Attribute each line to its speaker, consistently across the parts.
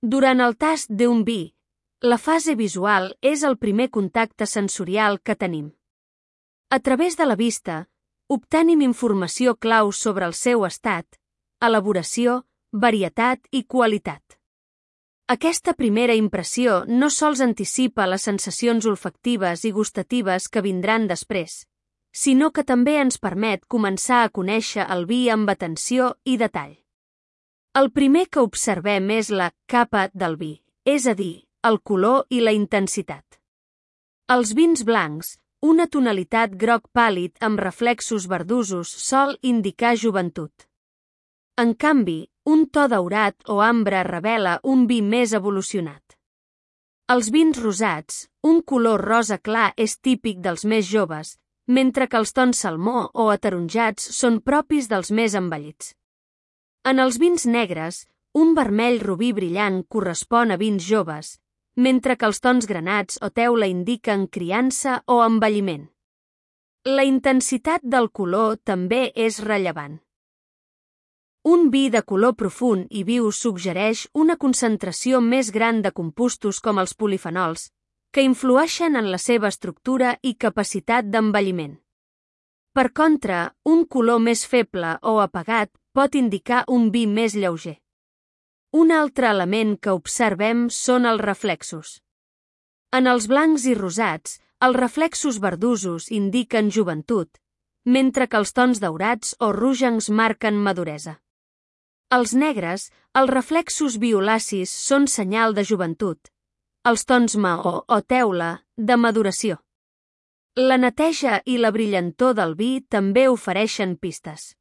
Speaker 1: Durant el tast d'un vi, la fase visual és el primer contacte sensorial que tenim. A través de la vista, obtenim informació clau sobre el seu estat, elaboració, varietat i qualitat. Aquesta primera impressió no sols anticipa les sensacions olfactives i gustatives que vindran després, sinó que també ens permet començar a conèixer el vi amb atenció i detall. El primer que observem és la capa del vi, és a dir, el color i la intensitat. Els vins blancs, una tonalitat groc pàl·lid amb reflexos verdosos sol indicar joventut. En canvi, un to daurat o ambre revela un vi més evolucionat. Els vins rosats, un color rosa clar és típic dels més joves, mentre que els tons salmó o ataronjats són propis dels més envellits. En els vins negres, un vermell rubí brillant correspon a vins joves, mentre que els tons granats o teula indiquen criança o envelliment. La intensitat del color també és rellevant. Un vi de color profund i viu suggereix una concentració més gran de compostos com els polifenols, que influeixen en la seva estructura i capacitat d'envelliment. Per contra, un color més feble o apagat pot indicar un vi més lleuger. Un altre element que observem són els reflexos. En els blancs i rosats, els reflexos verdosos indiquen joventut, mentre que els tons daurats o rogencs marquen maduresa. Als negres, els reflexos violacis són senyal de joventut, els tons maó o teula, de maduració. La neteja i la brillantor del vi també ofereixen pistes.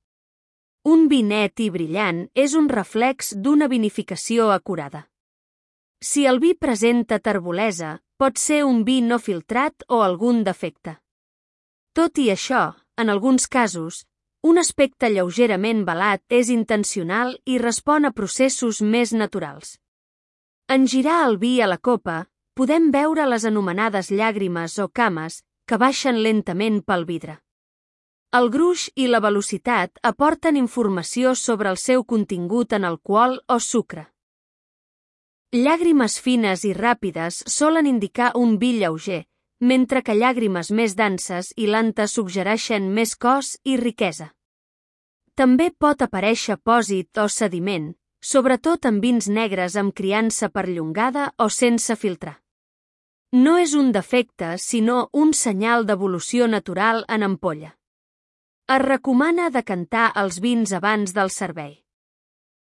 Speaker 1: Un vi net i brillant és un reflex d'una vinificació acurada. Si el vi presenta terbolesa, pot ser un vi no filtrat o algun defecte. Tot i això, en alguns casos, un aspecte lleugerament velat és intencional i respon a processos més naturals. En girar el vi a la copa, podem veure les anomenades llàgrimes o cames que baixen lentament pel vidre. El gruix i la velocitat aporten informació sobre el seu contingut en alcohol o sucre. Llàgrimes fines i ràpides solen indicar un vi lleuger, mentre que llàgrimes més denses i lentes suggereixen més cos i riquesa. També pot aparèixer pòsit o sediment, sobretot en vins negres amb criança perllongada o sense filtrar. No és un defecte, sinó un senyal d'evolució natural en ampolla. Es recomana decantar els vins abans del servei.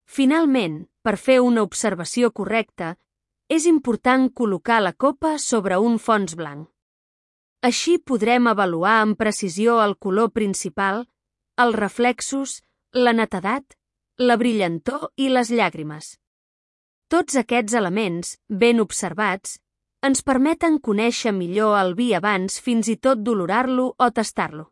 Speaker 1: Finalment, per fer una observació correcta, és important col·locar la copa sobre un fons blanc. Així podrem avaluar amb precisió el color principal, els reflexos, la netedat, la brillantor i les llàgrimes. Tots aquests elements, ben observats, ens permeten conèixer millor el vi abans fins i tot d'olorar-lo o tastar-lo.